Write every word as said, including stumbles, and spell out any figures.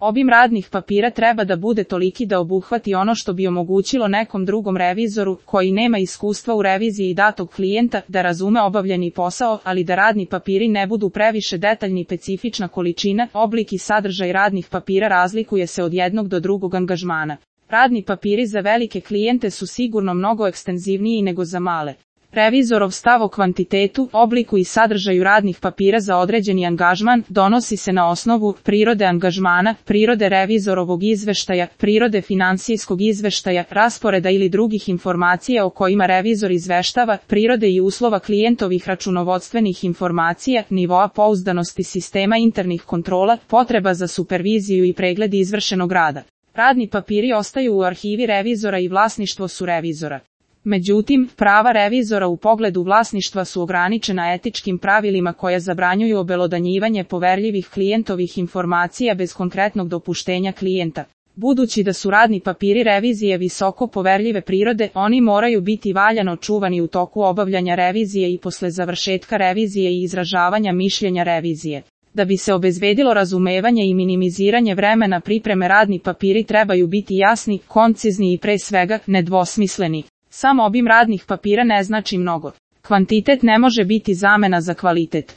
Obim radnih papira treba da bude toliki da obuhvati ono što bi omogućilo nekom drugom revizoru, koji nema iskustva u reviziji datog klijenta, da razume obavljeni posao, ali da radni papiri ne budu previše detaljni. Specifična količina, oblik i sadržaj radnih papira razlikuje se od jednog do drugog angažmana. Radni papiri za velike klijente su sigurno mnogo ekstenzivniji nego za male. Revizorov stav o kvantitetu, obliku i sadržaju radnih papira za određeni angažman donosi se na osnovu prirode angažmana, prirode revizorovog izveštaja, prirode finansijskog izveštaja, rasporeda ili drugih informacija o kojima revizor izveštava, prirode i uslova klijentovih računovodstvenih informacija, nivoa pouzdanosti sistema internih kontrola, potreba za superviziju i pregled izvršenog rada. Radni papiri ostaju u arhivi revizora i vlasništvo su revizora. Međutim, prava revizora u pogledu vlasništva su ograničena etičkim pravilima koja zabranjuju obelodanjivanje poverljivih klijentovih informacija bez konkretnog dopuštenja klijenta. Budući da su radni papiri revizije visoko poverljive prirode, oni moraju biti valjano čuvani u toku obavljanja revizije i posle završetka revizije i izražavanja mišljenja revizije. Da bi se obezbedilo razumevanje i minimiziranje vremena pripreme, radni papiri trebaju biti jasni, koncizni i pre svega nedvosmisleni. Sam obim radnih papira ne znači mnogo. Kvantitet ne može biti zamena za kvalitet.